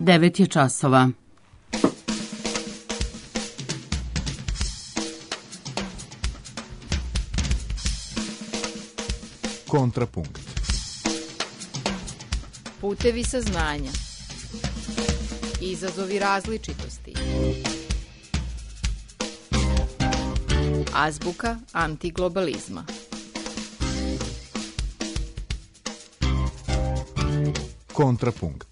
9 je časova. Kontrapunkt. Putevi saznanja. Izazovi različitosti. Azbuka antiglobalizma. Kontrapunkt.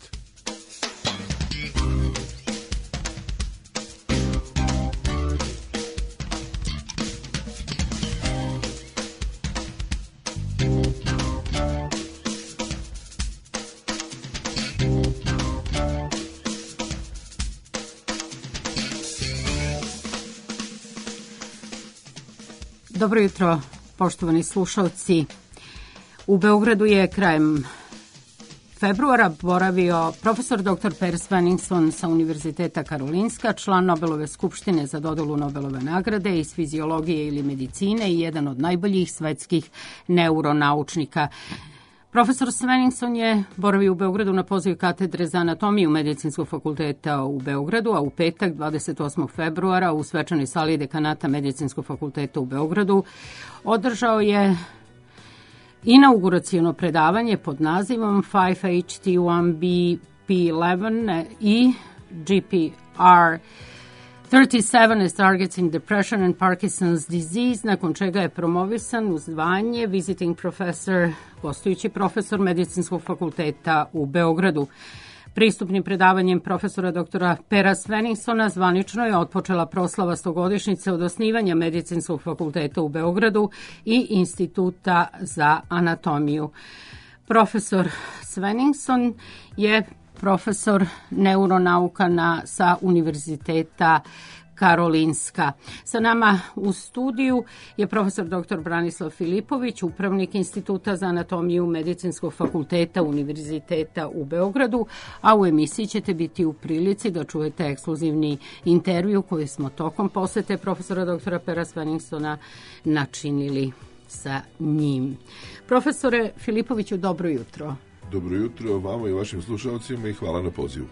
Dobro jutro, poštovani slušalci. U Beogradu je krajem februara boravio profesor dr. Per Svenningsson sa Univerziteta Karolinska, član Nobelove skupštine za dodelu Nobelove nagrade iz fiziologije ili medicine i jedan od najboljih svetskih neuronaučnika. Profesor Svenningsson je boravio u Beogradu na poziv katedre za anatomiju Medicinskog fakulteta u Beogradu, a u petak 28. februara u svečanoj sali dekanata Medicinskog fakulteta u Beogradu održao je inauguraciono predavanje pod nazivom 5HT1BP11 i GPR 37 as targets in depression and Parkinson's disease, nakon čega je promovisan u zvanje visiting professor, gostujući profesor Medicinskog fakulteta u Beogradu. Pristupnim predavanjem profesora doktora Pera Svenningssona zvanično je otpočela proslava 100-godišnjice od osnivanja Medicinskog fakulteta u Beogradu i Instituta za anatomiju. Profesor Svenningsson je profesor neuronauka sa Univerziteta Karolinska. Sa nama u studiju je profesor dr. Branislav Filipović, upravnik Instituta za anatomiju Medicinskog fakulteta Univerziteta u Beogradu, a u emisiji ćete biti u prilici da čujete ekskluzivni intervju koji smo tokom posete profesora dr. Pera Svenningssona načinili sa njim. Profesore Filipoviću, dobro jutro. Dobro jutro vama i vašim slušalcima i hvala na pozivu.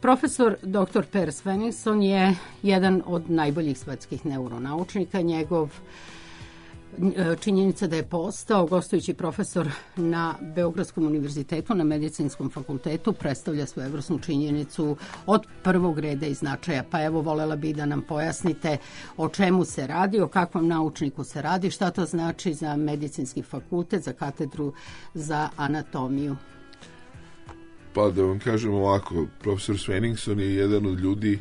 Profesor dr. Per Svenningsson je jedan od najboljih svetskih neuronaučnika. Činjenica da je postao gostujući profesor na Beogradskom univerzitetu, na Medicinskom fakultetu, predstavlja svojevrsnu činjenicu od prvog reda i značaja. Pa evo, volela bih da nam pojasnite o čemu se radi, o kakvom naučniku se radi, šta to znači za Medicinski fakultet, za katedru za anatomiju. Pa da vam kažem ovako, profesor Svenningsson je jedan od ljudi,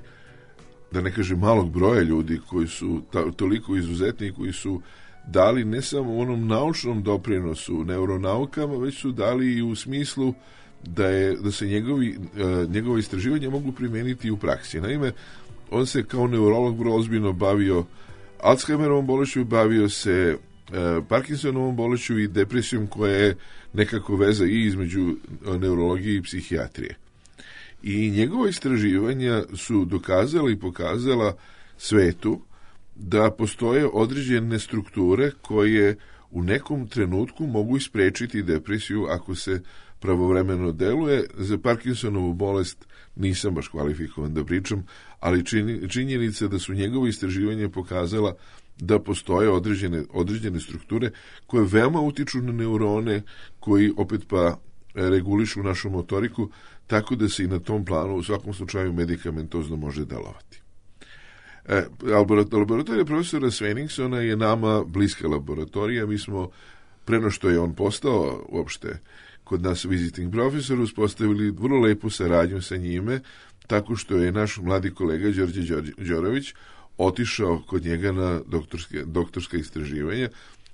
da ne kažem malog broja ljudi koji su toliko izuzetni, koji su dali ne samo u onom naučnom doprinosu neuronaukama, već su dali i u smislu da se njegove istraživanja mogu primeniti u praksi. Naime, on se kao neurolog vrlo ozbiljno bavio Alzheimerovom bolešću, bavio se Parkinsonovom bolešću i depresijom koja je nekako veza i između neurologije i psihijatrije. I njegova istraživanja su dokazala i pokazala svetu da postoje određene strukture koje u nekom trenutku mogu isprečiti depresiju ako se pravovremeno deluje. Za Parkinsonovu bolest nisam baš kvalifikovan da pričam, ali činjenica da su njegove istraživanja pokazala da postoje određene strukture koje veoma utiču na neurone, koji opet pa regulišu našu motoriku, tako da se i na tom planu u svakom slučaju medikamentozno može delovati. Laboratorija profesora Svenningssona je nama bliska laboratorija. Mi smo, preno što je on postao uopšte kod nas visiting profesor, uspostavili vrlo lepu saradnju sa njime, tako što je naš mladi kolega Đorđe Đorović otišao kod njega na doktorska istraživanja,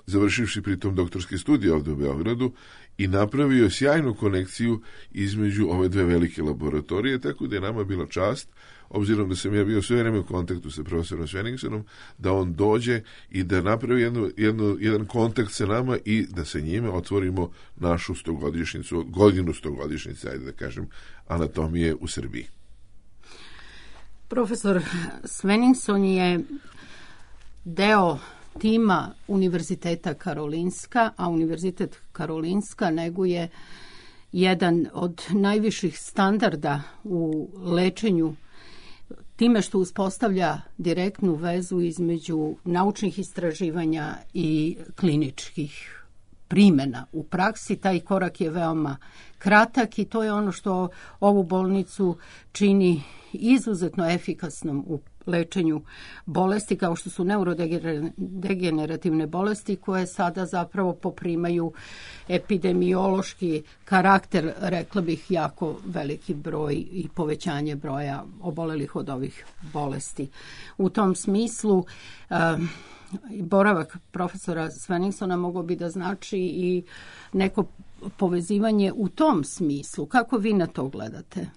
završivši pritom doktorske studije ovde u Beogradu, i napravio sjajnu konekciju između ove dve velike laboratorije, tako da je nama bila čast, obzirom da sam ja bio sve vreme u kontaktu sa profesorom Svenningssonom, da on dođe i da napravi jedan kontakt sa nama i da sa njime otvorimo našu 100-godišnjicu, godinu 100-godišnjice, ajde da kažem, anatomije u Srbiji. Profesor Svenningsson je deo tima Univerziteta Karolinska, a Univerzitet Karolinska neguje jedan od najviših standarda u lečenju time što uspostavlja direktnu vezu između naučnih istraživanja i kliničkih primjena u praksi. Taj korak je veoma kratak i to je ono što ovu bolnicu čini izuzetno efikasnom u lečenju bolesti kao što su neurodegenerativne bolesti koje sada zapravo poprimaju epidemiološki karakter, rekla bih jako veliki broj i povećanje broja obolelih od ovih bolesti. U tom smislu boravak profesora Svenningsona mogao bi da znači i neko povezivanje u tom smislu. Kako vi na to gledate?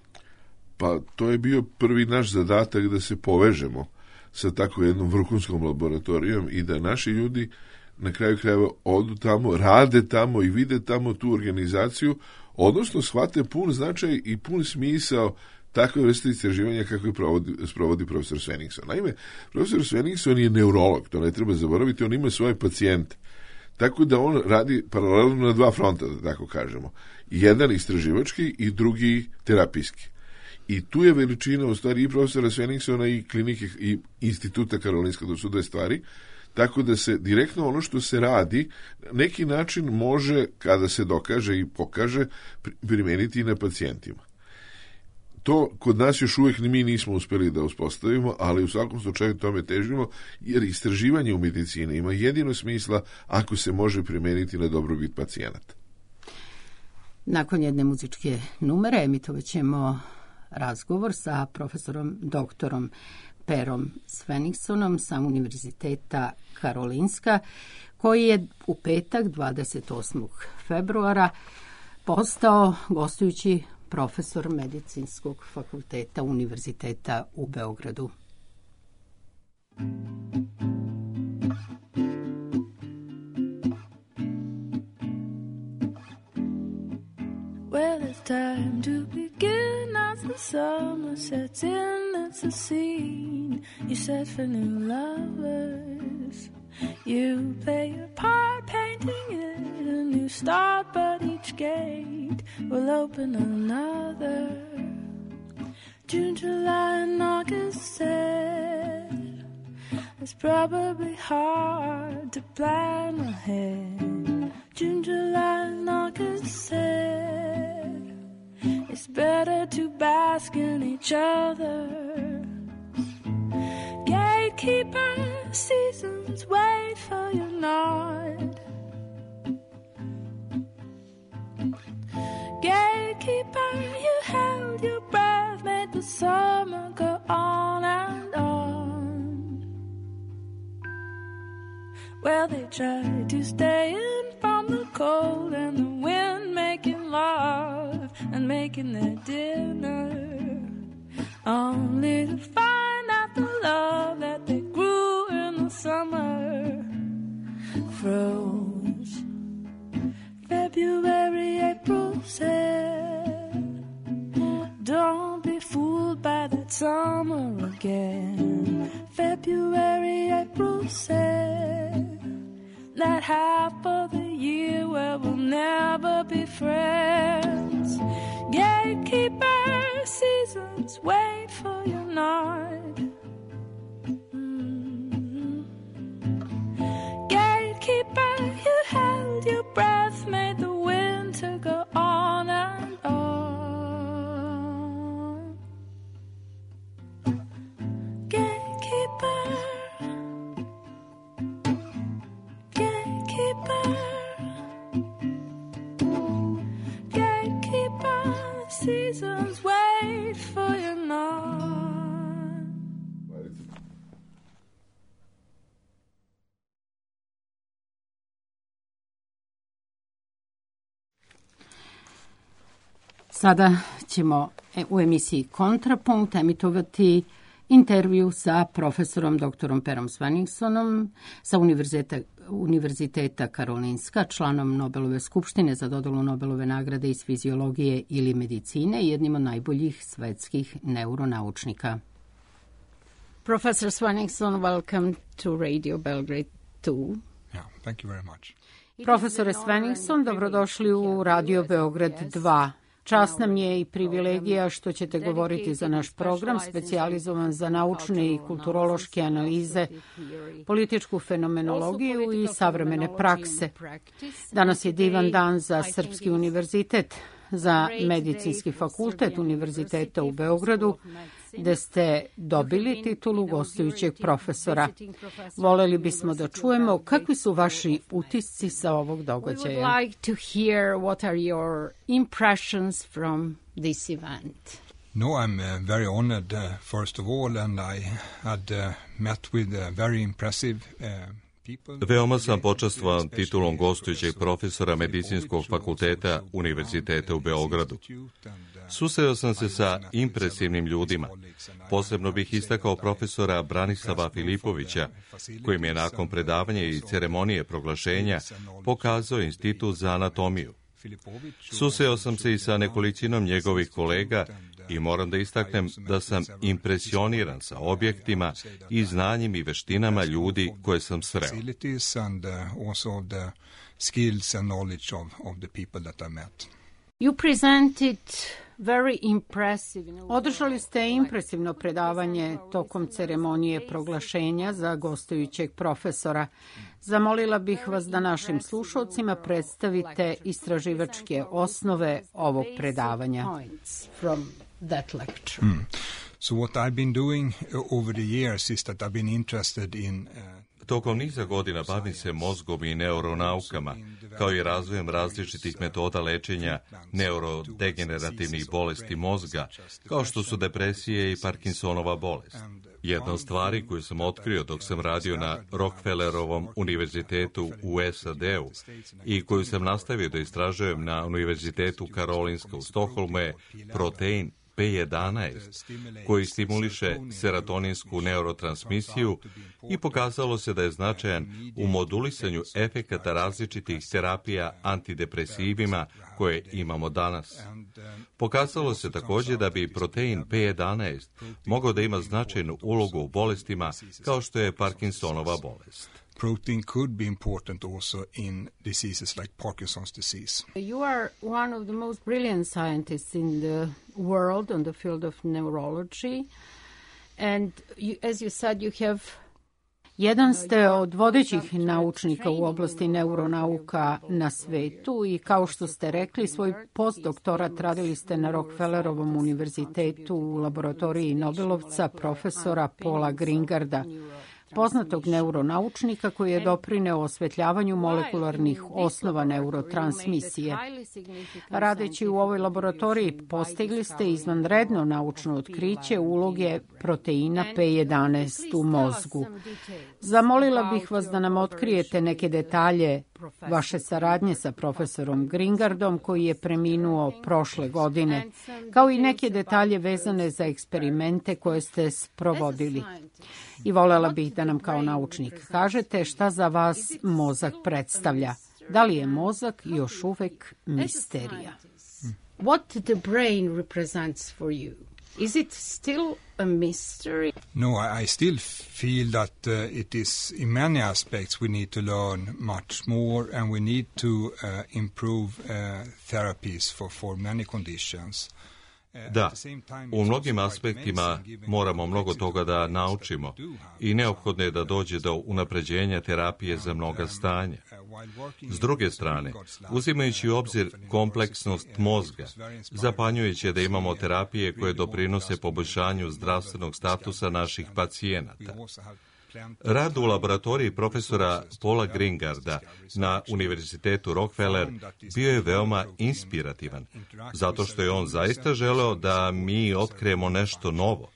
Pa to je bio prvi naš zadatak da se povežemo sa tako jednom vrhunskom laboratorijom i da naši ljudi na kraju krajeva odu tamo, rade tamo i vide tamo tu organizaciju, odnosno shvate pun značaj i pun smisao takve vrste istraživanja kako je sprovodi profesor Svenningsson. Naime, profesor Svenningsson je neurolog, to ne treba zaboraviti, on ima svoje pacijente. Tako da on radi paralelno na dva fronta, da tako kažemo. Jedan istraživački i drugi terapijski. I tu je veličina u stvari i profesora Svenningssona i klinike i instituta Karolinska, to su dve stvari, tako da se direktno ono što se radi neki način može, kada se dokaže i pokaže, primeniti i na pacijentima. To kod nas još uvijek mi nismo uspjeli da uspostavimo, ali u svakom slučaju tome težimo, jer istraživanje u medicini ima jedino smisla ako se može primeniti na dobrobit pacijenata. Nakon jedne muzičke numere emitovat ćemo razgovor sa profesorom doktorom Perom Svenningssonom sa Univerziteta Karolinska, koji je u petak 28. februara postao gostujući profesor Medicinskog fakulteta Univerziteta u Beogradu. Well, it's time to begin as the summer sets in. It's a scene you set for new lovers. You play your part, painting it a new start, but each gate will open another. June, July, and August said it's probably hard to plan ahead. June, July, and August said it's better to bask in each other. Gatekeeper, seasons wait for your nod. Gatekeeper, you held your breath, made the summer go on and on. Well, they tried to stay in from the cold and the wind, making love and making their dinner, only to find out the love that they grew in the summer froze. February, April said, don't be fooled by that summer again. February, April said, that half of the year where we'll never be friends. Gatekeeper, seasons wait for your nod. Gatekeeper, you held your breath, made the winter go on and on. Gatekeeper, gatekeeper, gatekeeper, seasons wait for your nod. Sada ćemo u emisiji Kontrapunkt emitovati intervju sa profesorom doktorom Perom Svenningssonom sa Univerziteta Karolinska, članom Nobelove skupštine za dodelu Nobelove nagrade iz fiziologije ili medicine i jednim od najboljih svetskih neuronaučnika. Professor Svenningsson, welcome to Radio Belgrade 2. Yeah, thank you very much. Profesore Sveningsson, dobrodošli u Radio Beograd 2. Čast nam je i privilegija što ćete govoriti za naš program specijalizovan za naučne i kulturološke analize, političku fenomenologiju i savremene prakse. Danas je divan dan za Srpski univerzitet, za Medicinski fakultet Univerziteta u Beogradu, gde ste dobili titulu gostujućeg profesora. Voleli bismo da čujemo kakvi su vaši utisci sa ovog događaja. We would like to hear what are your impressions from this event. No, I'm very honored, first of all, and I had met with very impressive Veoma sam počastvovan titulom gostujućeg profesora Medicinskog fakulteta Univerziteta u Beogradu. Susreo sam se sa impresivnim ljudima. Posebno bih istakao profesora Branislava Filipovića, koji mi je nakon predavanja i ceremonije proglašenja pokazao Institut za anatomiju. Susreo sam se i sa nekolicinom njegovih kolega i moram da istaknem da sam impresioniran sa objektima i znanjem i veštinama ljudi koje sam sreo. You presented very impressive. Održali ste impresivno predavanje tokom ceremonije proglašenja za gostujućeg profesora. Zamolila bih vas da našim slušalcima predstavite istraživačke osnove ovog predavanja. So what I've been doing over the years is that I've been interested in Tokom niza godina bavim se mozgom i neuronaukama, kao i razvojem različitih metoda lečenja neurodegenerativnih bolesti mozga, kao što su depresije i Parkinsonova bolest. Jedna od stvari koju sam otkrio dok sam radio na Rockefellerovom univerzitetu u SAD-u i koju sam nastavio da istražujem na Univerzitetu Karolinska u Stokholmu je protein P11, koji stimuliše serotoninsku neurotransmisiju i pokazalo se da je značajan u modulisanju efekata različitih terapija antidepresivima koje imamo danas. Pokazalo se također da bi protein P11 mogao da ima značajnu ulogu u bolestima kao što je Parkinsonova bolest. Protein could be important also in diseases like Parkinson's disease. You are one of the most brilliant scientists in the world on the field of neurology. And you, as you said, you have jedan ste od vodećih naučnika u oblasti neuronauka na svetu i kao što ste rekli, svoj postdoktorat radili ste na Rockefellerovom univerzitetu u laboratoriji Nobelovca profesora Paula Gringarda, poznatog neuronaučnika koji je doprineo osvetljavanju molekularnih osnova neurotransmisije. Radeći u ovoj laboratoriji postigli ste izvanredno naučno otkriće uloge proteina P11 u mozgu. Zamolila bih vas da nam otkrijete neke detalje vaše saradnje sa profesorom Gringardom koji je preminuo prošle godine, kao i neke detalje vezane za eksperimente koje ste sprovodili. I voljela bih da nam kao naučnik kažete šta za vas mozak predstavlja. Da li je mozak još uvek misterija? What the brain represents for you? Is it still a mystery? No, I still feel that it is, in many aspects, we need to learn much more and we need to improve therapies for many conditions. Da, u mnogim aspektima moramo mnogo toga da naučimo i neophodno je da dođe do unapređenja terapije za mnoga stanja. S druge strane, uzimajući u obzir kompleksnost mozga, zapanjujuće je da imamo terapije koje doprinose poboljšanju zdravstvenog statusa naših pacijenata. Rad u laboratoriji profesora Paula Gringarda na Univerzitetu Rockefeller bio je veoma inspirativan, zato što je on zaista želeo da mi otkrijemo nešto novo.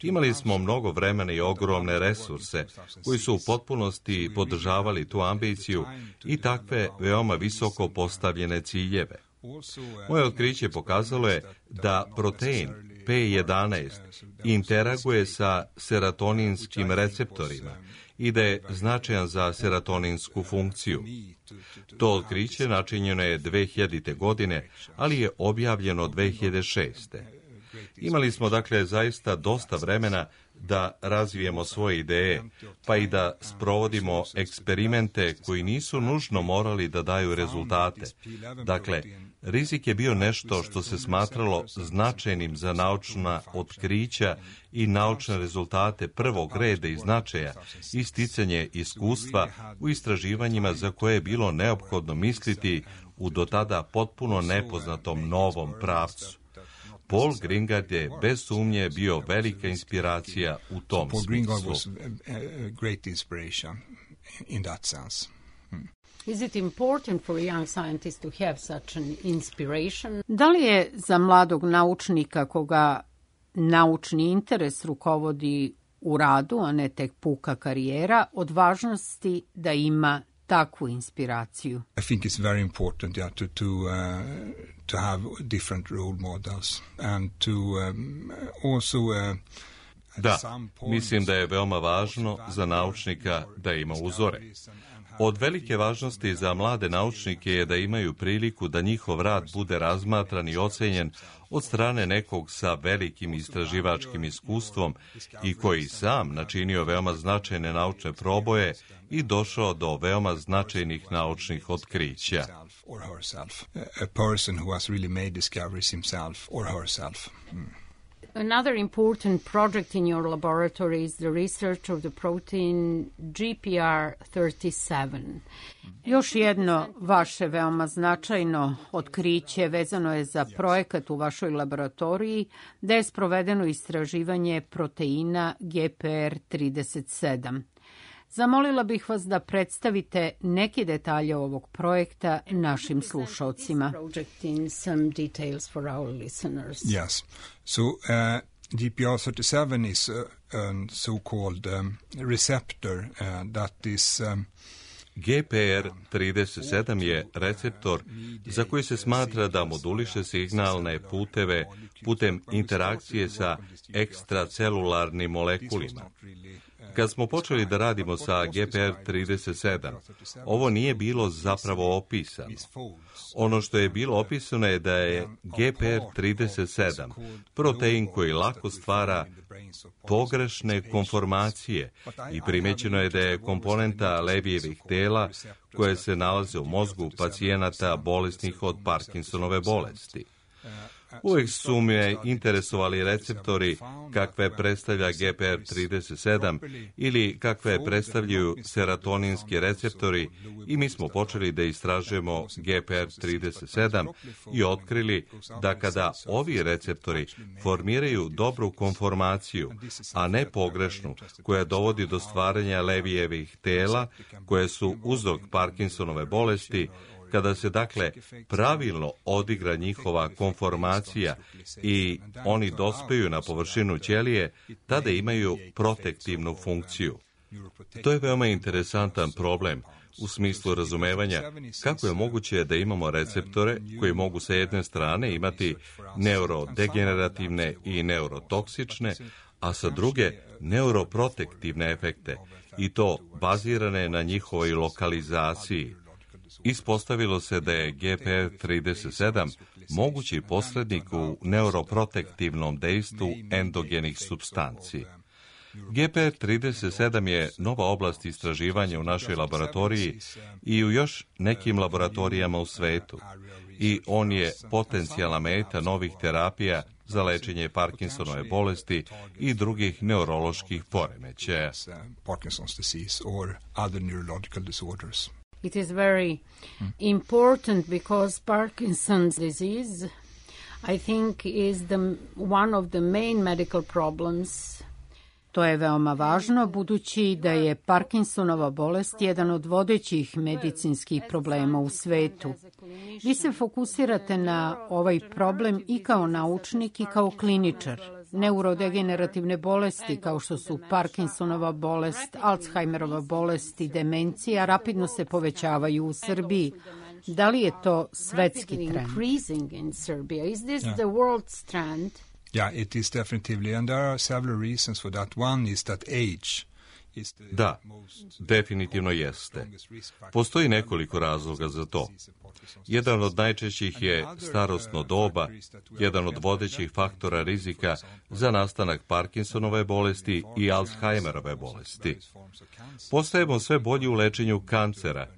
Imali smo mnogo vremena i ogromne resurse koji su u potpunosti podržavali tu ambiciju i takve veoma visoko postavljene ciljeve. Moje otkriće pokazalo je da protein P11 interaguje sa serotoninskim receptorima i da je značajan za serotoninsku funkciju. To otkriće načinjeno je 2000. godine, ali je objavljeno 2006. Imali smo dakle zaista dosta vremena da razvijemo svoje ideje, pa i da sprovodimo eksperimente koji nisu nužno morali da daju rezultate. Dakle, rizik je bio nešto što se smatralo značajnim za naučna otkrića i naučne rezultate prvog reda i značaja i sticanje iskustva u istraživanjima za koje je bilo neophodno misliti u do tada potpuno nepoznatom novom pravcu. Paul Greengard je bez sumnje bio velika inspiracija u tom smislu. Is it important for a young scientist to have such an inspiration? Da li je za mladog naučnika koga naučni interes rukovodi u radu, a ne tek puka karijera, od važnosti da ima takvu inspiraciju? I think it's very important to have different role models and to also Da, mislim da je veoma važno za naučnika da ima uzore. Od velike važnosti za mlade naučnike je da imaju priliku da njihov rad bude razmatran i ocenjen od strane nekog sa velikim istraživačkim iskustvom i koji sam načinio veoma značajne naučne proboje i došao do veoma značajnih naučnih otkrića. A person who has really made discoveries himself or herself. Another important project in your laboratory is the research of the protein GPR37. Još jedno vaše veoma značajno otkriće vezano je za projekat u vašoj laboratoriji da je sprovedeno istraživanje proteina GPR37. Zamolila bih vas da predstavite neke detalje ovog projekta našim slušalcima. Yes. So GPR37 is a so-called receptor that is GPR37 je receptor za koji se smatra da moduliše signalne puteve putem interakcije sa ekstracelularnim molekulima. Kad smo počeli da radimo sa GPR37, ovo nije bilo zapravo opisano. Ono što je bilo opisano je da je GPR37 protein koji lako stvara pogrešne konformacije i primećeno je da je komponenta Levijevih tela koje se nalaze u mozgu pacijenata bolesnih od Parkinsonove bolesti. Uvijek su me interesovali receptori kakve predstavlja GPR37 ili kakve predstavljaju serotoninski receptori i mi smo počeli da istražujemo GPR37 i otkrili da kada ovi receptori formiraju dobru konformaciju, a ne pogrešnu, koja dovodi do stvaranja Levijevih tela, koje su uzrok Parkinsonove bolesti, kada se dakle pravilno odigra njihova konformacija i oni dospeju na površinu ćelije, tada imaju protektivnu funkciju. To je veoma interesantan problem u smislu razumevanja kako je moguće da imamo receptore koji mogu sa jedne strane imati neurodegenerativne i neurotoksične, a sa druge neuroprotektivne efekte, i to bazirane na njihovoj lokalizaciji. Ispostavilo se da je GPR37 mogući posrednik u neuroprotektivnom dejstvu endogenih supstanci. GPR37 je nova oblast istraživanja u našoj laboratoriji i u još nekim laboratorijama u svetu. I on je potencijalna meta novih terapija za lečenje Parkinsonove bolesti i drugih neuroloških poremećaja. Parkinson's disease or other neurological disorders. It is very important because Parkinson's disease, I think, is one of the main medical problems. To je veoma važno, budući da je Parkinsonova bolest jedan od vodećih medicinskih problema u svetu. Vi se fokusirate na ovaj problem i kao naučnik i kao kliničar. Neurodegenerativne bolesti kao što su Parkinsonova bolest, Alzheimerova bolest i demencija rapidno se povećavaju u Srbiji. Da li je to svetski trend? Yeah, it is definitely, and there are several reasons for that. One is that age Da, definitivno jeste. Postoji nekoliko razloga za to. Jedan od najčešćih je starosno doba, jedan od vodećih faktora rizika za nastanak Parkinsonove bolesti i Alzheimerove bolesti. Postajemo sve bolji u lečenju kancera,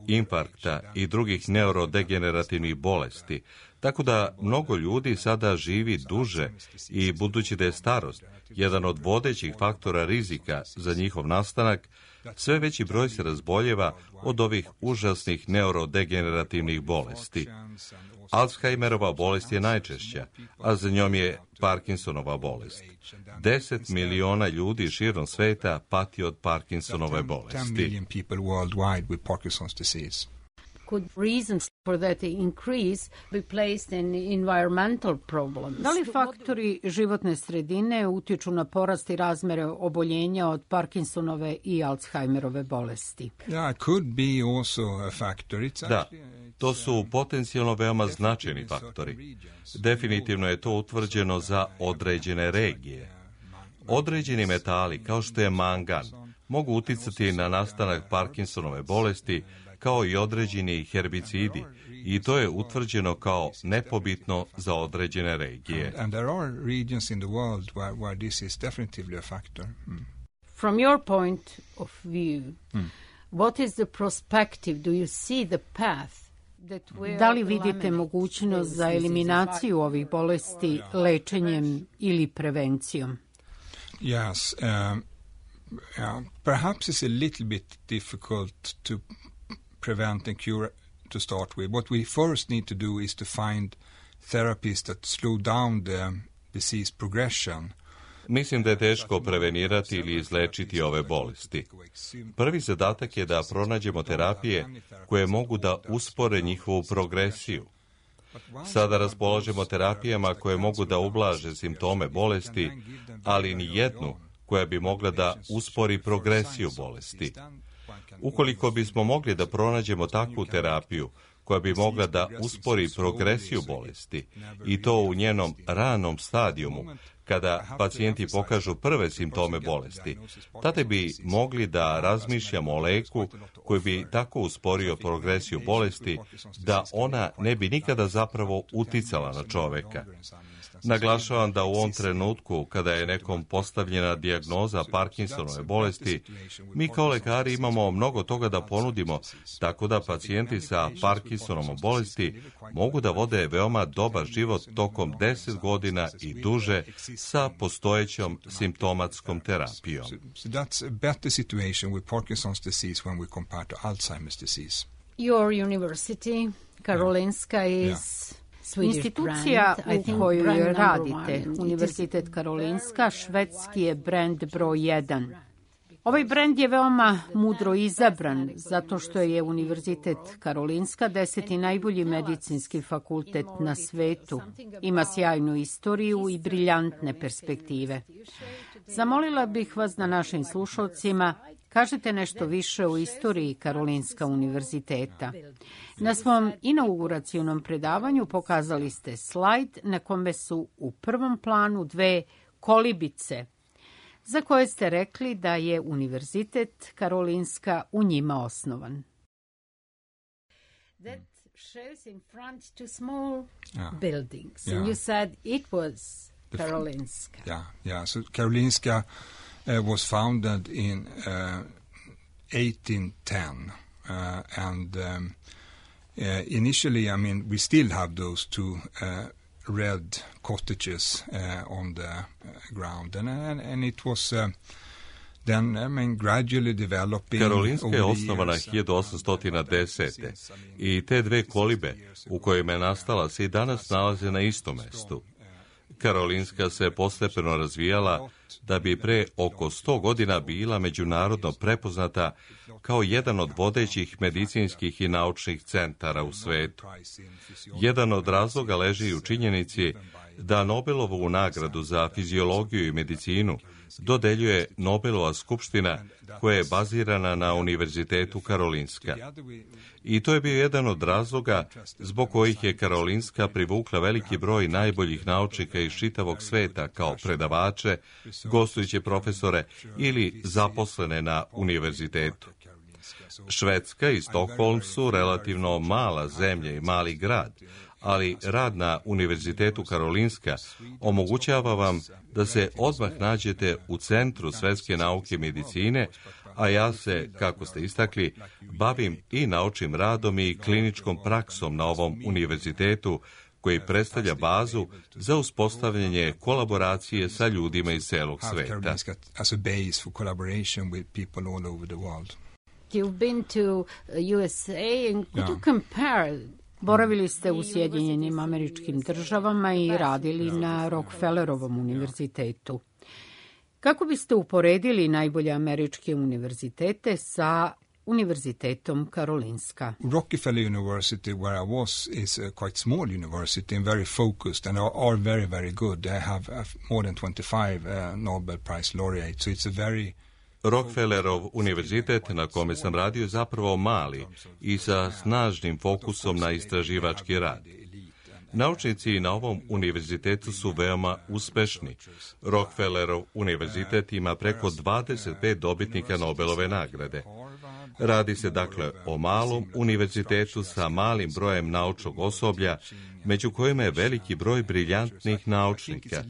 infarkta i drugih neurodegenerativnih bolesti, tako da mnogo ljudi sada živi duže i budući da je starost jedan od vodećih faktora rizika za njihov nastanak, sve veći broj se razboljeva od ovih užasnih neurodegenerativnih bolesti. Alzheimerova bolest je najčešća, a za njom je Parkinsonova bolest. 10 miliona ljudi širom sveta pati od Parkinsonove bolesti. Could reasons for that increase be placed in environmental problems? Da li faktori životne sredine utiču na porast i razmere oboljenja od Parkinsonove i Alzheimerove bolesti? Da, to su potencijalno veoma značajni faktori. Definitivno je to utvrđeno za određene regije. Određeni metali, kao što je mangan, mogu uticati na nastanak Parkinsonove bolesti, kao i određeni herbicidi, i to je utvrđeno kao nepobitno za određene regije. From your point of view, what is the perspective? Do you see the path? Da li vidite mogućnost za eliminaciju ovih bolesti lečenjem ili prevencijom? Yes, perhaps it's a little bit difficult to prevent and cure to start with. What we first need to do is to find therapies that slow down the disease progression. Mislim da je teško prevenirati ili izlečiti ove bolesti. Prvi zadatak je da pronađemo terapije koje mogu da uspore njihovu progresiju. Sada raspolažemo terapijama koje mogu da ublaže simptome bolesti, ali ni jednu koja bi mogla da uspori progresiju bolesti. Ukoliko bismo mogli da pronađemo takvu terapiju koja bi mogla da uspori progresiju bolesti i to u njenom ranom stadijumu, kada pacijenti pokažu prve simptome bolesti, tada bi mogli da razmišljamo o leku koji bi tako usporio progresiju bolesti da ona ne bi nikada zapravo uticala na čoveka. Naglašavam da u ovom trenutku, kada je nekom postavljena dijagnoza Parkinsonove bolesti, mi kao lekari imamo mnogo toga da ponudimo, tako da pacijenti sa Parkinsonovom bolesti mogu da vode veoma dobar život tokom 10 godina i duže sa postojećom simptomatskom terapijom. So that's a better situation with Parkinson's disease when we compare to Alzheimer's disease. Your university, Karolinska, is institucija u kojoj radite, Univerzitet Karolinska, švedski je brend broj 1. Ovaj brend je veoma mudro izabran, zato što je Univerzitet Karolinska 10. najbolji medicinski fakultet na svetu. Ima sjajnu istoriju i briljantne perspektive. Zamolila bih vas da našim slušalcima kažete nešto više o istoriji Karolinska univerziteta. Na svom inauguracionom predavanju pokazali ste slajd na kome su u prvom planu 2 kolibice, za koje ste rekli da je Univerzitet Karolinska u njima osnovan. That shows in front 2 small buildings. And you said it was Karolinska. So Karolinska was founded in 1810. And initially, I mean, we still have those 2 red cottages on the ground, and it was then, I mean, gradually developing. Karolinska je osnovana 1810. i te 2 kolibe u kojima je nastala se i danas nalaze na istom mestu. Karolinska se postepeno razvijala da bi pre oko 100 godina bila međunarodno prepoznata kao jedan od vodećih medicinskih i naučnih centara u svetu. Jedan od razloga leži u činjenici da Nobelovu nagradu za fiziologiju i medicinu dodeljuje Nobelova skupština koja je bazirana na Univerzitetu Karolinska. I to je bio jedan od razloga zbog kojih je Karolinska privukla veliki broj najboljih naučnika iz čitavog sveta kao predavače, gostujuće profesore ili zaposlene na univerzitetu. Švedska i Stockholm su relativno mala zemlja i mali grad, ali rad na Univerzitetu Karolinska omogućava vam da se odmah nađete u centru svetske nauke medicine, a ja se, kako ste istakli, bavim i naučnim radom i kliničkom praksom na ovom univerzitetu, koji predstavlja bazu za uspostavljanje kolaboracije sa ljudima iz celog sveta. You've been to USA and could you compare? Boravili ste u Sjedinjenim Američkim Državama i radili na Rockefellerovom univerzitetu. Kako biste uporedili najbolje američke univerzitete sa Univerzitetom Karolinska? Rockefeller University, where I was, is a quite small university and very focused and are very, very good. They have more than 25 Nobel Prize laureates, so it's a very... Rockefellerov univerzitet na kome sam radio je zapravo mali i sa snažnim fokusom na istraživački rad. Naučnici na ovom univerzitetu su veoma uspešni. Rockefellerov univerzitet ima preko 25 dobitnika Nobelove nagrade. Radi se dakle o malom univerzitetu sa malim brojem naučnog osoblja, među kojima je veliki broj briljantnih naučnika.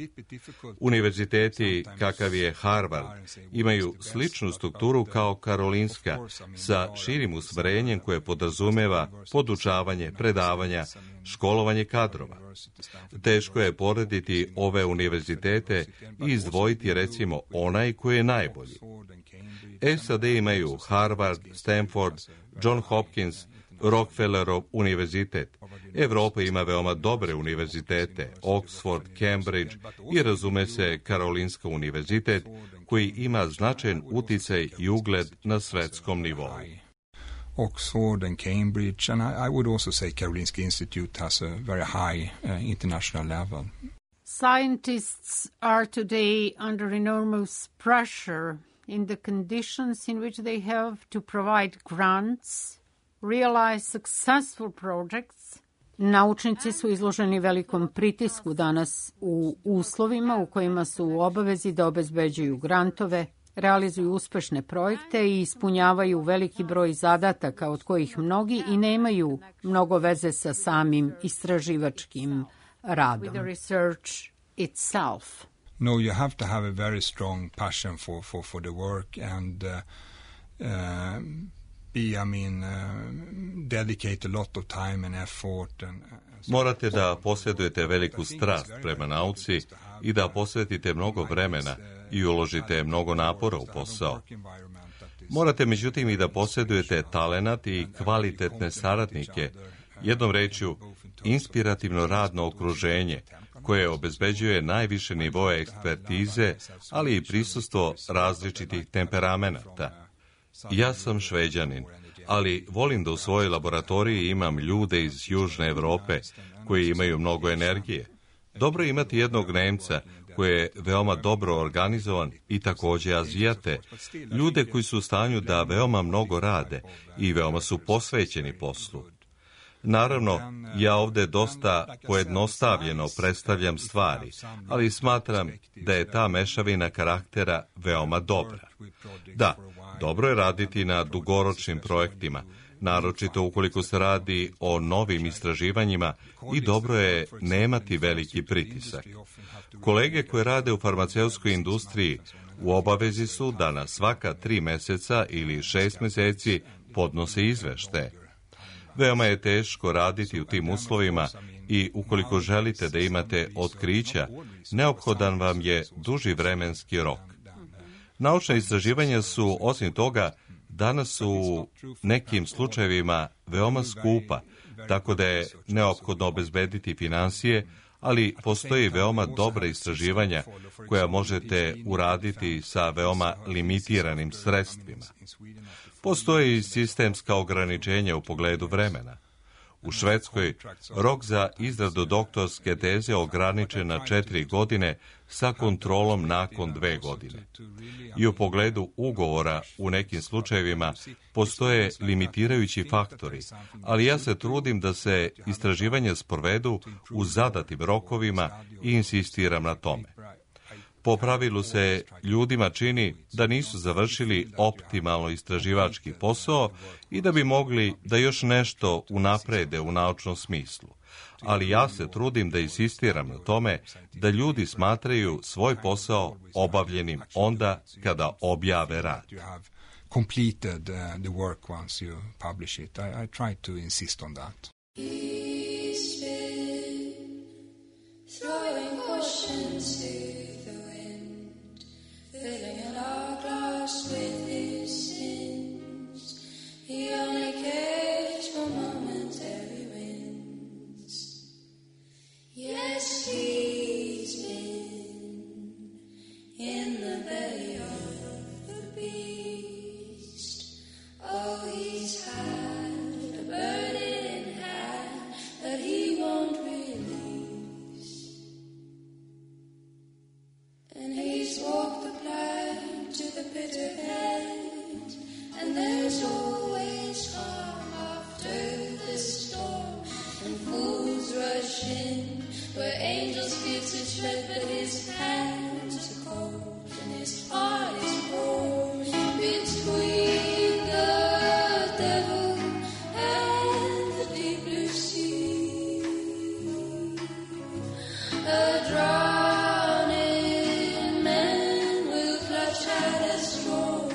Univerziteti, kakav je Harvard, imaju sličnu strukturu kao Karolinska, sa širim usmerenjem koje podrazumeva podučavanje, predavanja, školovanje kadrova. Teško je porediti ove univerzitete i izdvojiti recimo onaj koji je najbolji. SAD imaju Harvard, Stanford, John Hopkins, Rockefellerov univerzitet. Evropa ima veoma dobre univerzitete, Oxford, Cambridge i razume se Karolinska univerzitet, koji ima značajan uticaj i ugled na svetskom nivou. Oxford and Cambridge, and I would also say Karolinska Institute has a very high international level. Scientists are today under enormous pressure in the conditions in which they have to provide grants, realize successful projects. Naučnici su izloženi velikom pritisku danas u uslovima u kojima su u obavezi da obezbeđuju grantove, realizuju uspešne projekte i ispunjavaju veliki broj zadataka od kojih mnogi i nemaju mnogo veze sa samim istraživačkim radom. With the research itself. No, you have to have a very strong passion for the work and dedicate a lot of time and effort. Morate da posjedujete veliku strast prema nauci i da posvetite mnogo vremena i uložite mnogo napora u posao. Morate međutim i da posjedujete talenat i kvalitetne saradnike, jednom rečju inspirativno radno okruženje koje obezbeđuje najviše nivoe ekspertize, ali i prisustvo različitih temperamenata. Ja sam Šveđanin, ali volim da u svojoj laboratoriji imam ljude iz Južne Evrope koji imaju mnogo energije. Dobro je imati jednog Nemca koji je veoma dobro organizovan i također Azijate, ljude koji su u stanju da veoma mnogo rade i veoma su posvećeni poslu. Naravno, ja ovdje dosta pojednostavljeno predstavljam stvari, ali smatram da je ta mešavina karaktera veoma dobra. Da, dobro je raditi na dugoročnim projektima, naročito ukoliko se radi o novim istraživanjima i dobro je nemati veliki pritisak. Kolege koje rade u farmaceutskoj industriji u obavezi su da na svaka 3 mjeseca ili 6 mjeseci podnose izveštaje. Veoma je teško raditi u tim uslovima i ukoliko želite da imate otkrića, neophodan vam je duži vremenski rok. Naučna istraživanja su, osim toga, danas u nekim slučajevima veoma skupa, tako da je neophodno obezbediti finansije, ali postoji veoma dobra istraživanja koja možete uraditi sa veoma limitiranim sredstvima. Postoji sistemska ograničenja u pogledu vremena. U Švedskoj rok za izradu doktorske teze ograničen na 4 godine sa kontrolom nakon 2 godine. I u pogledu ugovora u nekim slučajevima postoje limitirajući faktori, ali ja se trudim da se istraživanja sprovedu u zadatim rokovima i insistiram na tome. Po pravilu se ljudima čini da nisu završili optimalno istraživački posao i da bi mogli da još nešto unaprede u naučnom smislu. Ali ja se trudim da insistiram na tome da ljudi smatraju svoj posao obavljenim onda kada objave rad. Completed the work once you publish it. I try to insist on that. He's been throwing cautions to the wind, filling an hourglass with his sins. He only cares for momentary wins. Yes, he's been in the belly of the beast. Oh, he's had a burning hand that he won't release. And he's walked the plank to the bitter end, and there's always calm after the storm, and fools rush in where angels' feet to tread, but his hands are cold and his heart is warm. Between the devil and the deep blue sea, a drowning man will clutch at a straw.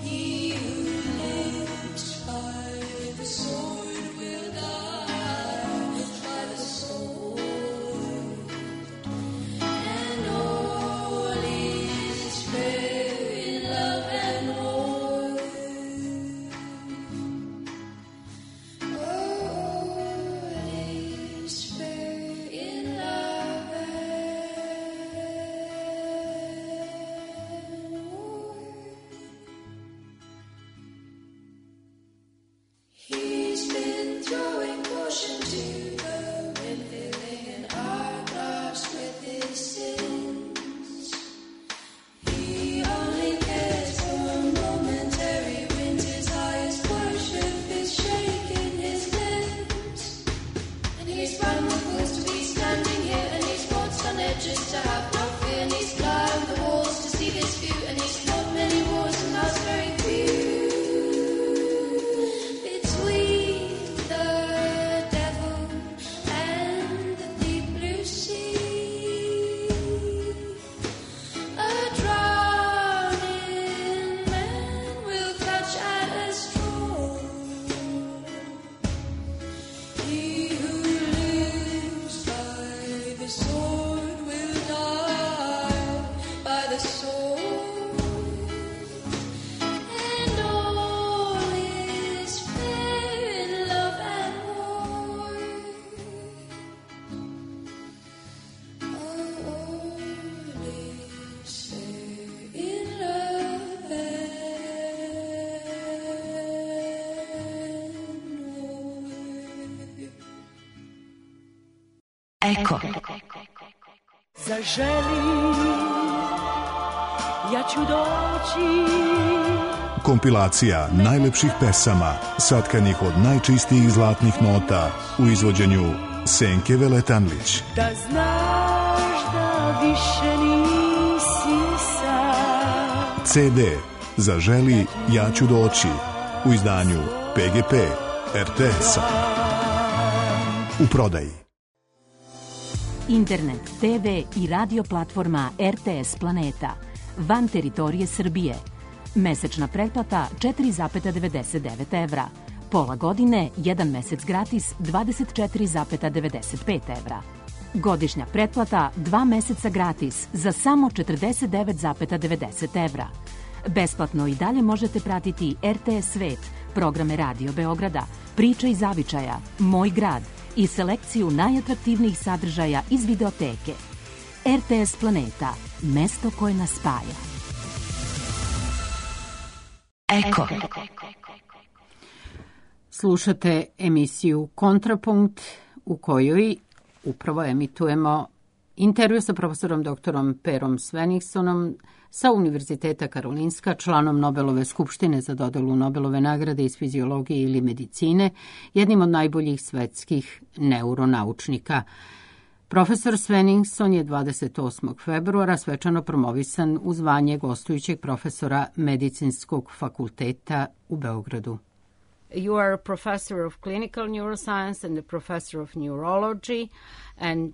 He who lives by the sword will die by the sword, and all is fair in love and war. All is fair in love and war. He's been throwing caution to the wind, filling an hourglass with his sins. He only cares for momentary wins. His highest worship is shaking his limbs. And he's run the fools to be standing here, and he's walked on edges to have no fear, and he's climbed the walls to see this view, and he's fought many wars and lost very few. Between the devil and the deep blue sea, a drowning man will clutch at a straw. He who lives by the sword will die by the sword, and all is fair in love and war. All is fair in love and war. Eko. Zaželi, ja ću doći. Kompilacija najlepših pesama satkanih od najčistijih zlatnih nota u izvođenju Senke Veletanlić. Da znaš da više nisi sam. CD Zaželi, ja ću doći u izdanju PGP RTS-a. U prodaji. Internet, TV i radio platforma RTS Planeta. Van teritorije Srbije. Mesečna pretplata 4,99 evra. Pola godine, 1 mesec gratis 24,95 evra. Godišnja pretplata 2 meseca gratis za samo 49,90 evra. Besplatno i dalje možete pratiti RTS Svet, programe Radio Beograda, Priče iz Zavičaja, Moj grad i selekciju najatraktivnijih sadržaja iz videoteke. RTS Planeta, mesto koje nas spaja. Eko. Slušate emisiju Kontrapunkt u kojoj upravo emitujemo intervju sa profesorom doktorom Perom Sveningssonom sa Univerziteta Karolinska, članom Nobelove skupštine za dodelu Nobelove nagrade iz fiziologije ili medicine, jednim od najboljih svetskih neuronaučnika. Profesor Svenningsson je 28. februara svečano promovisan u zvanje gostujućeg profesora Medicinskog fakulteta u Beogradu. You are a professor of clinical neuroscience and a professor of neurology, and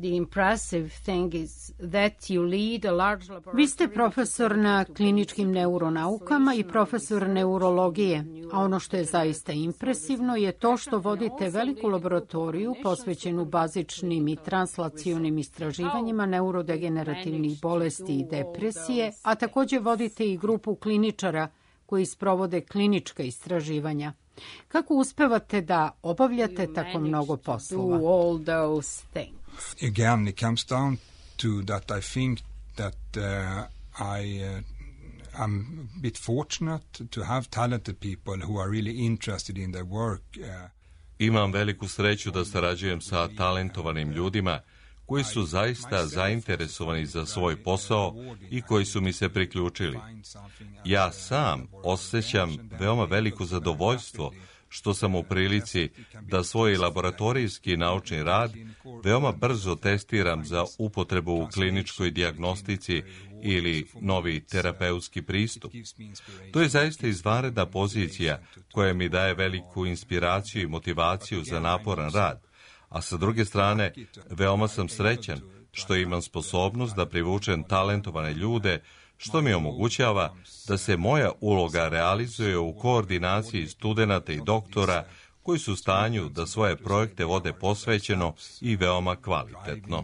the impressive thing is that you lead a large laboratory. Vi ste profesor na kliničkim neuronaukama i profesor neurologije, a ono što je zaista impresivno je to što vodite veliku laboratoriju posvećenu bazičnim i translacionim istraživanjima neurodegenerativnih bolesti i depresije, a takođe vodite i grupu kliničara koji sprovode klinička istraživanja. Kako uspevate da obavljate tako mnogo poslova? Again, it comes down to that I think that I'm a bit fortunate to have talented people who are really interested in their work. Imam veliku sreću da sarađujem sa talentovanim ljudima koji su zaista zainteresovani za svoj posao i koji su mi se priključili. Ja sam osjećam veoma veliko zadovoljstvo što sam u prilici da svoj laboratorijski naučni rad veoma brzo testiram za upotrebu u kliničkoj dijagnostici ili novi terapeutski pristup. To je zaista izvanredna pozicija koja mi daje veliku inspiraciju i motivaciju za naporan rad, a sa druge strane veoma sam srećan što imam sposobnost da privučem talentovane ljude, što mi omogućava da se moja uloga realizuje u koordinaciji studenata i doktora koji su u stanju da svoje projekte vode posvećeno i veoma kvalitetno.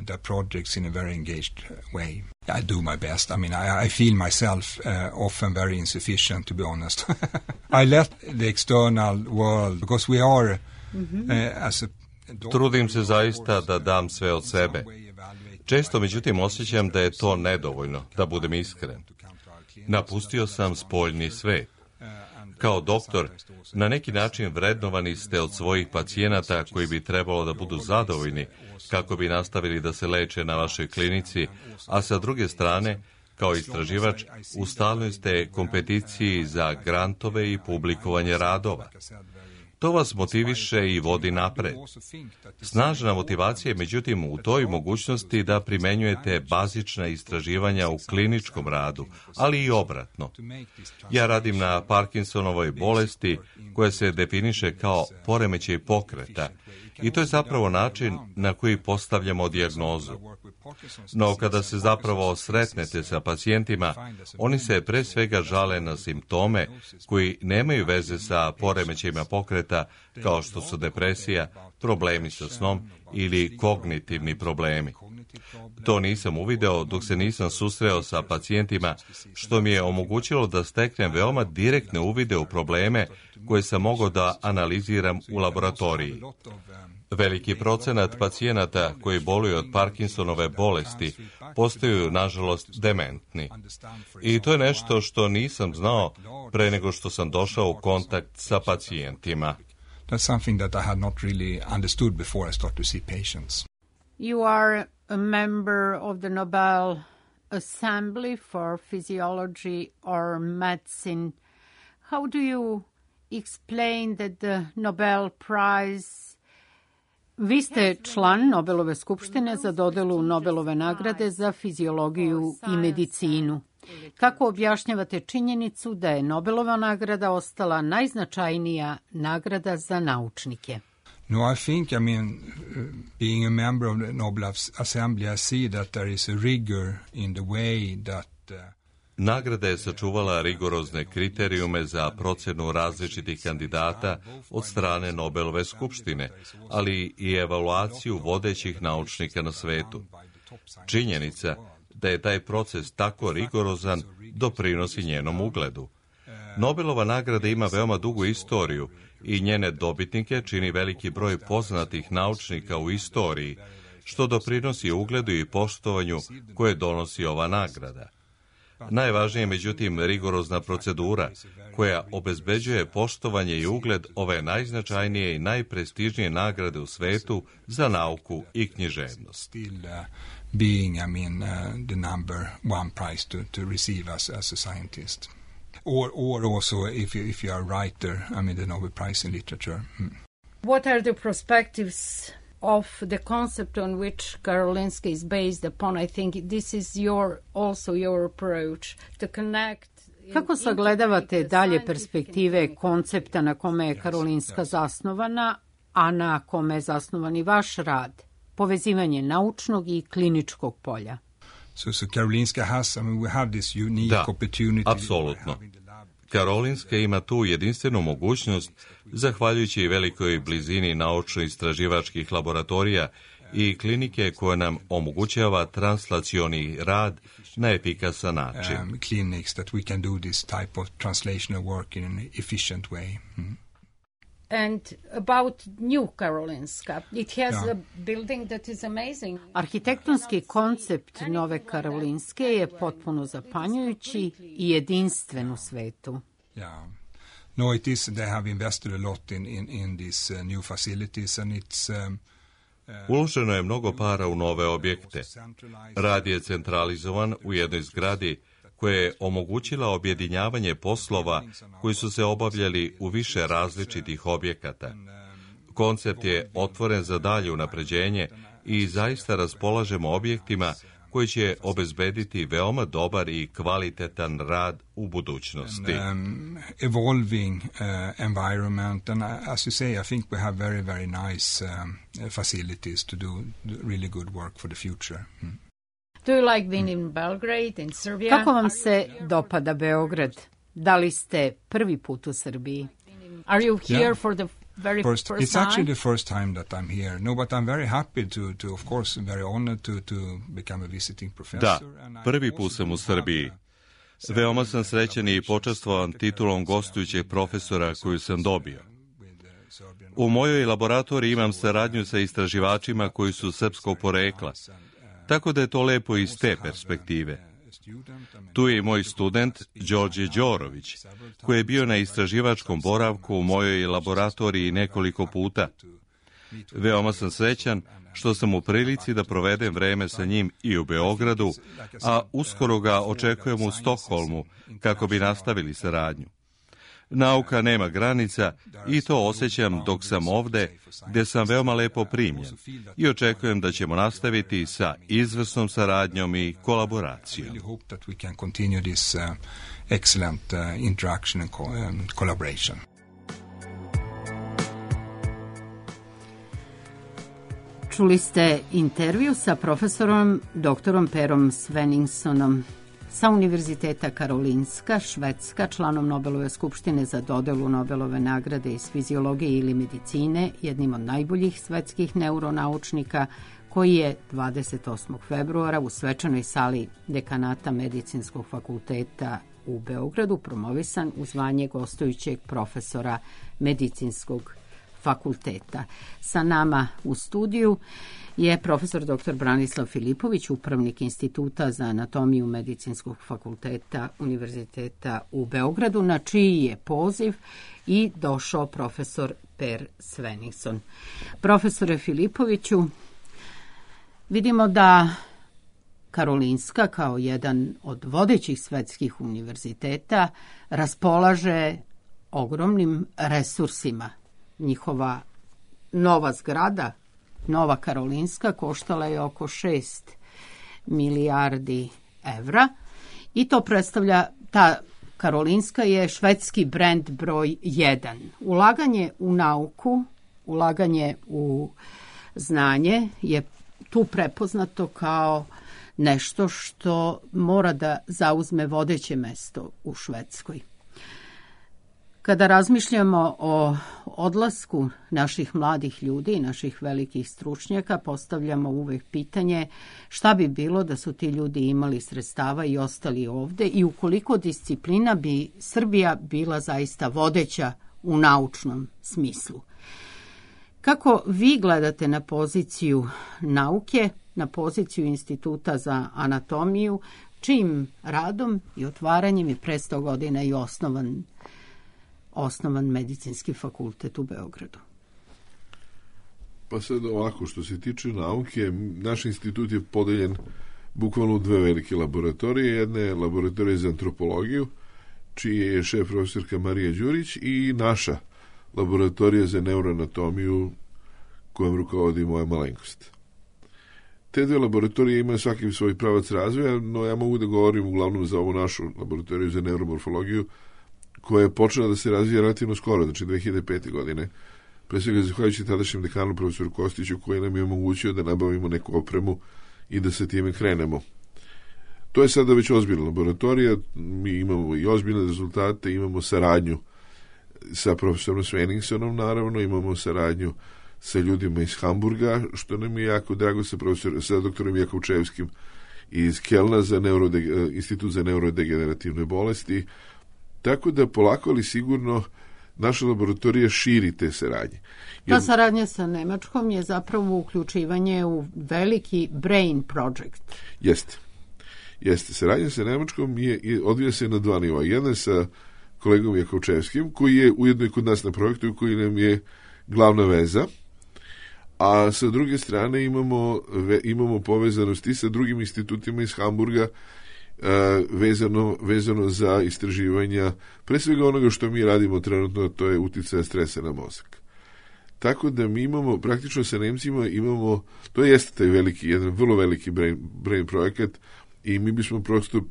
The projects in a very engaged way. I do my best. I mean, I feel myself often very insufficient, to be honest. I let the external world, because we are as a Trudim se zaista da dam sve od sebe. Često, međutim, osjećam da je to nedovoljno, da budem iskren. Napustio sam spoljni svet. Kao doktor, na neki način vrednovani ste od svojih pacijenata koji bi trebalo da budu zadovoljni kako bi nastavili da se leče na vašoj klinici, a sa druge strane, kao istraživač, u stalnoj ste kompeticiji za grantove i publikovanje radova. To vas motiviše i vodi napred. Snažna motivacija je međutim u toj mogućnosti da primenjujete bazična istraživanja u kliničkom radu, ali i obratno. Ja radim na Parkinsonovoj bolesti koja se definiše kao poremećaj pokreta i to je zapravo način na koji postavljamo dijagnozu. No kada se zapravo sretnete sa pacijentima, oni se pre svega žale na simptome koji nemaju veze sa poremećajima pokreta, kao što su depresija, problemi sa snom ili kognitivni problemi. To nisam uvideo dok se nisam susreo sa pacijentima, što mi je omogućilo da steknem veoma direktne uvide u probleme koje sam mogao da analiziram u laboratoriji. Veliki procenat pacijenata koji boluju od Parkinsonove bolesti postaju, nažalost, dementni. I to je nešto što nisam znao pre nego što sam došao u kontakt sa pacijentima. That's something that I had not really understood before I started to see patients. You are a member of the Nobel Assembly for Physiology or Medicine. How do you explain that the Nobel Prize... Vi ste član Nobelove skupštine za dodelu Nobelove nagrade za fiziologiju i medicinu. Kako objašnjavate činjenicu da je Nobelova nagrada ostala najznačajnija nagrada za naučnike? No, I think, being a member of the Nobel Assembly, I see that there is a rigor in the way that... Nagrada je sačuvala rigorozne kriterijume za procenu različitih kandidata od strane Nobelove skupštine, ali i evaluaciju vodećih naučnika na svetu. Činjenica da je taj proces tako rigorozan doprinosi njenom ugledu. Nobelova nagrada ima veoma dugu istoriju i njene dobitnike čini veliki broj poznatih naučnika u istoriji, što doprinosi ugledu i poštovanju koje donosi ova nagrada. Najvažnije je, međutim, rigorozna procedura koja obezbeđuje poštovanje i ugled ove najznačajnije i najprestižnije nagrade u svetu za nauku i književnost. Being, the number one prize to receive as a scientist. Or also, if you are a writer, the Nobel Prize in Literature. What are the perspectives of the concept on which Karolinska is based upon, I think this is also your approach to connect. Kako sagledavate dalje perspektive koncepta na kome je Karolinska zasnovana, a na kome je zasnovan i vaš rad? Povezivanje naučnog i kliničkog polja. So Karolinska has, we have this unique opportunity. Da, apsolutno. Karolinska ima tu jedinstvenu mogućnost, zahvaljujući velikoj blizini naučno-istraživačkih laboratorija i klinike koja nam omogućava translacioni rad na efikasan način. Clinics that we can do this type of translational work in an efficient way. And about New Karolinska, it has a building that is amazing. Arhitektonski koncept Nove Karolinske je potpuno zapanjujući i jedinstven u svetu. Yeah. No, it is. They have invested a lot in these new facilities, and it's. Uloženo je mnogo para u nove objekte. Rad je centralizovan u jednoj zgradi koja je omogućila objedinjavanje poslova koji su se obavljali u više različitih objekata. Koncept je otvoren za dalje unapređenje i zaista raspolažemo objektima koji će obezbediti veoma dobar i kvalitetan rad u budućnosti. Evolving environment, and as you say, I think we have very, very nice facilities to do really good work for the future. Do you like being in Belgrade, in Serbia? Kako vam se dopada Beograd? Da li ste prvi put u Srbiji? Are you here for the very first time? It's actually the first time that I'm here. No, but I'm very happy to of course, very honored to become a visiting professor. Da, prvi put sam u Srbiji. Veoma sam srećan i počastvovan titulom gostujućeg profesora koju sam dobio. U mojoj laboratoriji imam saradnju sa istraživačima koji su srpskog porekla, tako da je to lepo iz te perspektive. Tu je i moj student, Đorđe Đorović, koji je bio na istraživačkom boravku u mojoj laboratoriji nekoliko puta. Veoma sam srećan što sam u prilici da provedem vreme sa njim i u Beogradu, a uskoro ga očekujem u Stokholmu kako bi nastavili saradnju. Nauka nema granica i to osjećam dok sam ovde, gde sam veoma lepo primljen i očekujem da ćemo nastaviti sa izvrsnom saradnjom i kolaboracijom. Čuli ste intervju sa profesorom doktorom Perom Svenningssonom sa Univerziteta Karolinska, Švedska, članom Nobelove skupštine za dodelu Nobelove nagrade iz fiziologije ili medicine, jednim od najboljih svetskih neuronaučnika, koji je 28. februara u svečanoj sali dekanata Medicinskog fakulteta u Beogradu promovisan u zvanje gostujućeg profesora Medicinskog fakulteta. Sa nama u studiju je profesor dr. Branislav Filipović, upravnik Instituta za anatomiju Medicinskog fakulteta Univerziteta u Beogradu, na čiji je poziv i došao profesor Per Svenningsson. Profesore Filipoviću, vidimo da Karolinska, kao jedan od vodećih svetskih univerziteta, raspolaže ogromnim resursima. Njihova nova zgrada, Nova Karolinska, koštala je oko 6 milijardi evra i to predstavlja, ta Karolinska je švedski brend broj 1. Ulaganje u nauku, ulaganje u znanje je tu prepoznato kao nešto što mora da zauzme vodeće mesto u Švedskoj. Kada razmišljamo o odlasku naših mladih ljudi i naših velikih stručnjaka, postavljamo uvek pitanje šta bi bilo da su ti ljudi imali sredstava i ostali ovde i u koliko disciplina bi Srbija bila zaista vodeća u naučnom smislu. Kako vi gledate na poziciju nauke, na poziciju Instituta za anatomiju, čijim radom i otvaranjem je pre 100 godina i osnovan medicinski fakultet u Beogradu? Pa sad ovako, što se tiče nauke, naš institut je podeljen bukvalno u dve velike laboratorije. Jedna je laboratorija za antropologiju, čiji je šef profesorka Marija Đurić, i naša laboratorija za neuroanatomiju, kojem rukovodi moja malenkost. Te dve laboratorije imaju svaki svoj pravac razvoja, no ja mogu da govorim uglavnom za ovu našu laboratoriju za neuromorfologiju, koja je počela da se razvija relativno skoro, znači 2005. godine, pre svega zahvaljujući tadašnjem dekanu profesoru Kostiću, koji nam je omogućio da nabavimo neku opremu i da se time krenemo. To je sada već ozbiljna laboratorija, mi imamo i ozbiljne rezultate, imamo saradnju sa profesorom Svenningsonom, naravno, imamo saradnju sa ljudima iz Hamburga, što nam je jako drago, sa doktorom Jakovčevskim iz Kelna za Institut za neurodegenerativne bolesti, tako da polako ali sigurno naša laboratorija širi te saradnje. Ta saradnja sa Nemačkom je zapravo uključivanje u veliki brain project. Jeste. Saradnja sa Nemačkom odvija se na dva nivoa. Jedna je sa kolegom Jakovčevskim, koji je ujedno i kod nas na projektu i koji nam je glavna veza, a sa druge strane imamo povezanosti sa drugim institutima iz Hamburga, vezano za istraživanja, pre svega onoga što mi radimo trenutno, to je uticaja stresa na mozak. Tako da mi imamo, praktično sa Nemcima imamo, to jeste taj veliki, jedan vrlo veliki brain projekat i mi bismo prosto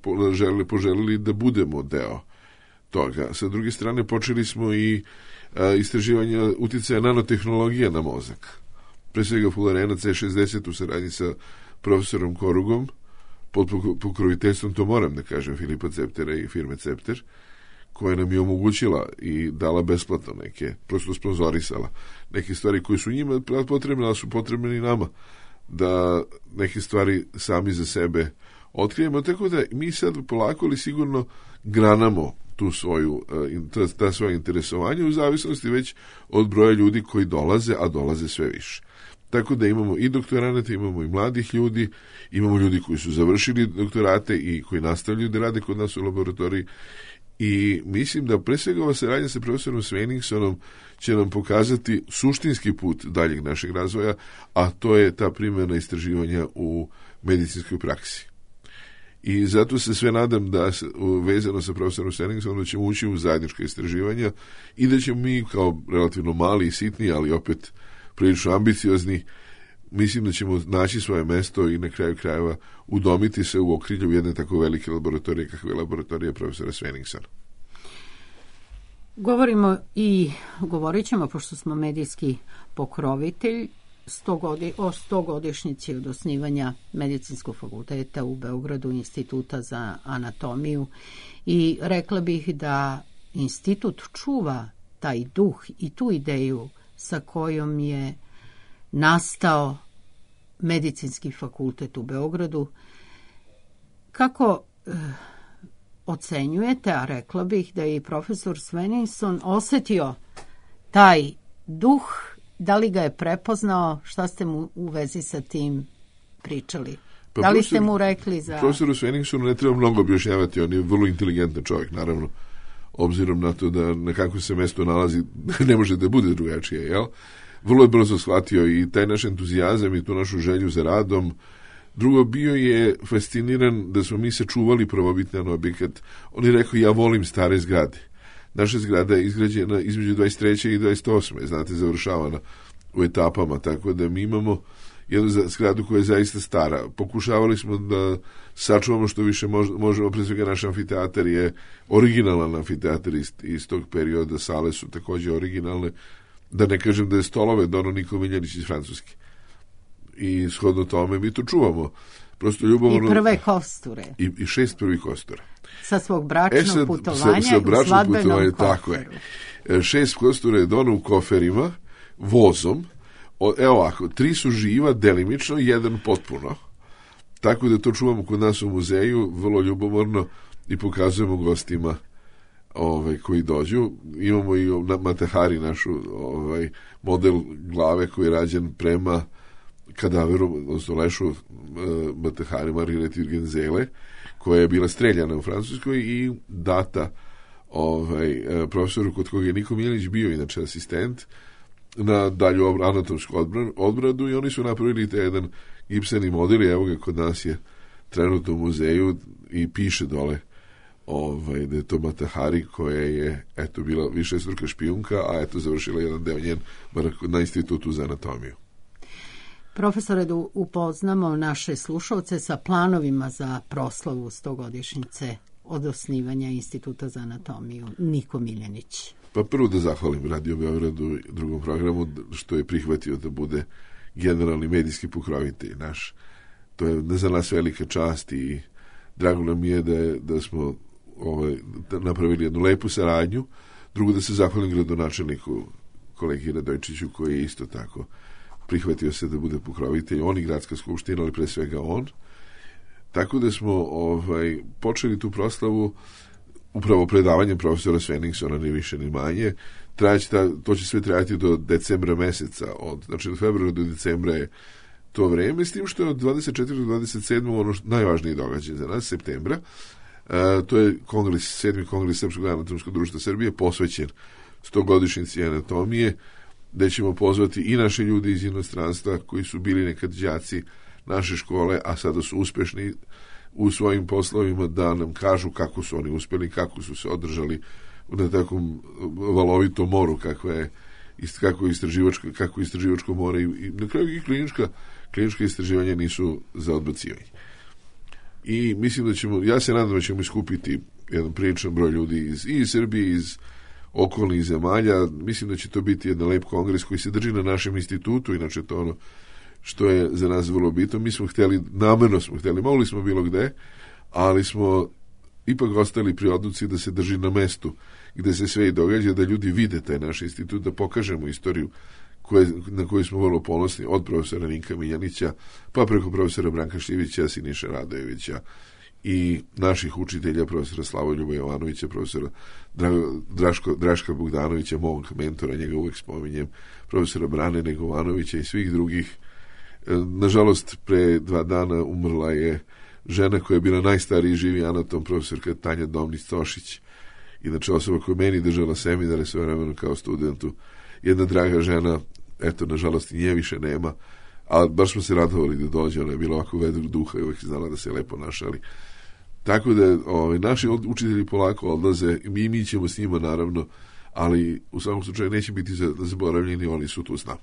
poželili da budemo deo toga. Sa druge strane, počeli smo i istraživanja uticaja nanotehnologija na mozak. Pre svega Fullerena C60 u saradnji sa profesorom Korugom, pod pokroviteljstvom, to moram da kažem, Filipa Ceptera i firme Cepter, koja nam je omogućila i dala besplatno neke, prosto sponzorisala neke stvari koje su njima potrebne, ali su potrebne i nama, da neke stvari sami za sebe otkrijemo, tako da mi sad polako ali sigurno granamo tu ta svoja interesovanja u zavisnosti već od broja ljudi koji dolaze, a dolaze sve više. Tako da imamo i doktoranata, imamo i mladih ljudi, imamo ljudi koji su završili doktorate i koji nastavljaju da rade kod nas u laboratoriji i mislim da pre svega ova saradnja sa profesorom Svenningsonom će nam pokazati suštinski put daljeg našeg razvoja, a to je ta primjena istraživanja u medicinskoj praksi. I zato se sve nadam da vezano sa profesorom Svenningsonom da ćemo ući u zajednička istraživanja i da ćemo mi kao relativno mali i sitni, ali opet prilično ambiciozni, mislim da ćemo naći svoje mesto i na kraju krajeva udomiti se u okrilju jedne tako velike laboratorije kakve je laboratorija profesora Svenningsona. Govorit ćemo, pošto smo medijski pokrovitelj, o 100-godišnjici od osnivanja Medicinskog fakulteta u Beogradu, Instituta za anatomiju, i rekla bih da institut čuva taj duh i tu ideju sa kojom je nastao Medicinski fakultet u Beogradu. Kako ocenjujete, a rekla bih da je i profesor Svenningson osetio taj duh, da li ga je prepoznao, šta ste mu u vezi sa tim pričali? Da li ste mu rekli za... Profesoru Svenningsonu ne treba mnogo objašnjavati, on je vrlo inteligentan čovjek, naravno, obzirom na to da na kakvom se mesto nalazi, ne može da bude drugačije, jel? Vrlo je brzo shvatio i taj naš entuzijazam i tu našu želju za radom. Drugo, bio je fasciniran da smo mi sačuvali prvobitni objekat. On je rekao, ja volim stare zgrade. Naša zgrada je izgrađena između 23. i 28. Znate, završavana u etapama, tako da mi imamo jednu zgradu koja je zaista stara. Pokušavali smo da sačuvamo što više možemo, pre svega naš amfiteatar je originalan amfiteatar iz tog perioda, sale su takođe originalne, da ne kažem da je stolove dono Niko Miljanić iz Francuske. I shodno tome mi to čuvamo. Prosto ljubomorno. I prve kosture. I 6 prvih kostura. Sa svog bračnog putovanja u svadbenom koferu. Tako je. 6 kostura je dono u koferima, vozom. Evo ovako, 3 su živa delimično, 1 potpuno. Tako da to čuvamo kod nas u muzeju, vrlo ljubomorno, i pokazujemo gostima koji dođu. Imamo i na Matahari našu model glave koji je rađen prema kadaveru, odnosno lešu Matahari Margarete Urgenzele, koja je bila streljana u Francuskoj i data profesoru kod koga je Niko Miljanić bio inače asistent na dalju anatomsku odbradu, i oni su napravili jedan gipseni model i evo ga kod nas je trenutno u muzeju i piše dole da je to Matahari koja je bila višestruka špijunka, a završila jedan deo njen na Institutu za anatomiju. Profesore, da upoznamo naše slušalce sa planovima za proslavu 100-godišnjice od osnivanja Instituta za anatomiju. Niko Miljanić. Pa prvo da zahvalim Radio Beogradu i drugom programu što je prihvatio da bude generalni medijski pokrovitelj naš. To je za nas velika čast i drago nam je da smo napravili jednu lepu saradnju. Drugo, da se zahvalim gradonačelniku kolegi Radojčiću koji je isto tako prihvatio se da bude pokrovitelj, on i gradska skupština, ali pre svega on. Tako da smo počeli tu proslavu upravo predavanjem profesora Svenningsona, ni više ni manje. To će sve trajati do decembra meseca, znači od februara do decembra je to vreme, s tim što je od 24. do 27. ono najvažniji događaj za nas, septembra. To je kongres, 7. kongres Srpskog anatomskog društva Srbije, posvećen 100-godišnjici anatomije, gde ćemo pozvati i naše ljudi iz inostranstva koji su bili nekad đaci naše škole, a sada su uspešni u svojim poslovima, da nam kažu kako su oni uspeli, kako su se održali na takvom valovitom moru, kako istraživačko more i na kraju i klinička istraživanja nisu za odbacivanje. I mislim da ja se nadam da ćemo iskupiti jedan priličan broj ljudi iz Srbije, iz okolnih zemalja. Mislim da će to biti jedan lep kongres koji se drži na našem institutu, inače to ono što je za nas vrlo bitno. Mi smo namerno smo hteli, mogli smo bilo gde, ali smo ipak ostali pri odluci da se drži na mestu gde se sve i događa, da ljudi vide taj naš institut, da pokažemo istoriju na koju smo vrlo ponosni, od profesora Ninka Miljanića, pa preko profesora Branka Šivića, Siniše Radojevića i naših učitelja, profesora Slavoljuba Jovanovića, profesora Draška Bogdanovića, mog mentora, njega uvek spominjem, profesora Brane Negovanovića i svih drugih. Nažalost, pre 2 dana umrla je žena koja je bila najstariji živi anatom, profesorka Tanja Domnić-Tošić, inače osoba koja meni držala seminare sve vremeno kao studentu, jedna draga žena, eto, nažalost i nje više nema, ali baš smo se radovali da dođe, ona je bila ovako vedrog duha i uvek znala da se lepo našali. Tako da naši učitelji polako odlaze i mi ćemo s njima naravno, ali u svakom slučaju neće biti zaboravljeni, oni su tu s nama.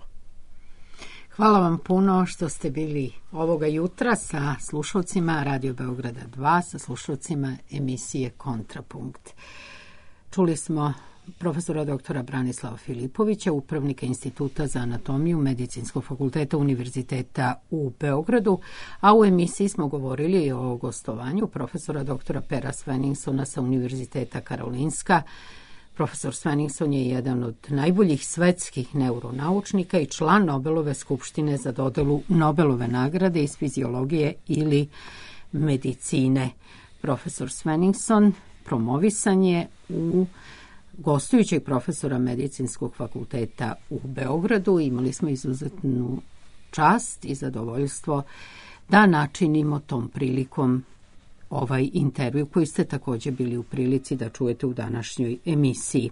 Hvala vam puno što ste bili ovoga jutra sa slušalcima Radio Beograda 2, sa slušalcima emisije Kontrapunkt. Čuli smo profesora doktora Branislava Filipovića, upravnika Instituta za anatomiju Medicinskog fakulteta Univerziteta u Beogradu, a u emisiji smo govorili o gostovanju profesora doktora Pera Svenningsona sa Univerziteta Karolinska. Profesor Svenningson je jedan od najboljih svetskih neuronaučnika i član Nobelove skupštine za dodelu Nobelove nagrade iz fiziologije ili medicine. Profesor Svenningson promovisan je u gostujućeg profesora Medicinskog fakulteta u Beogradu. Imali smo izuzetnu čast i zadovoljstvo da načinimo tom prilikom ovaj intervju koji ste također bili u prilici da čujete u današnjoj emisiji.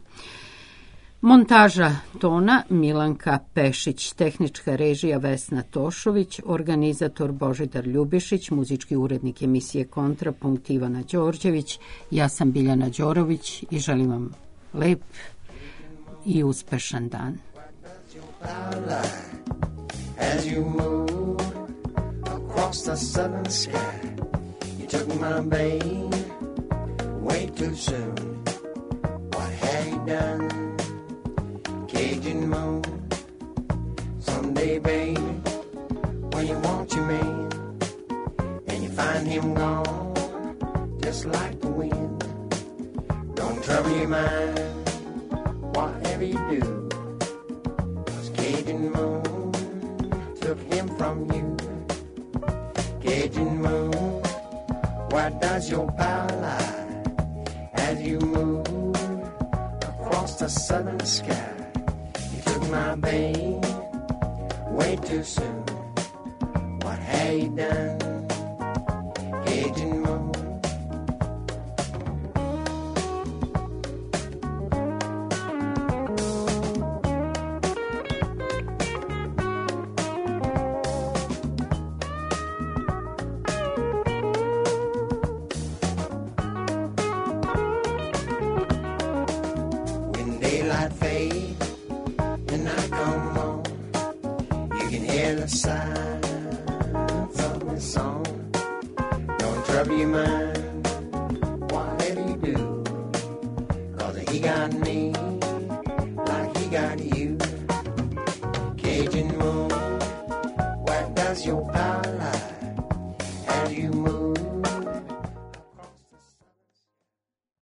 Montaža tona Milanka Pešić, tehnička režija Vesna Tošović, organizator Božidar Ljubišić, muzički urednik emisije Kontrapunkt Ivana Đorđević, ja sam Biljana Đorović i želim vam lep i uspešan dan. As you move across the southern sky, you took my babe way too soon. What have you done? Cajun moon. Someday, baby, when you want your man and you find him gone, just like the wind. Don't trouble your mind, whatever you do, 'cause Cajun moon took him from you. Cajun moon, where does your power lie as you move across the southern sky? You took my babe way too soon. What have you done, Cajun moon? Fade and I come home, you can hear the sigh vrijeme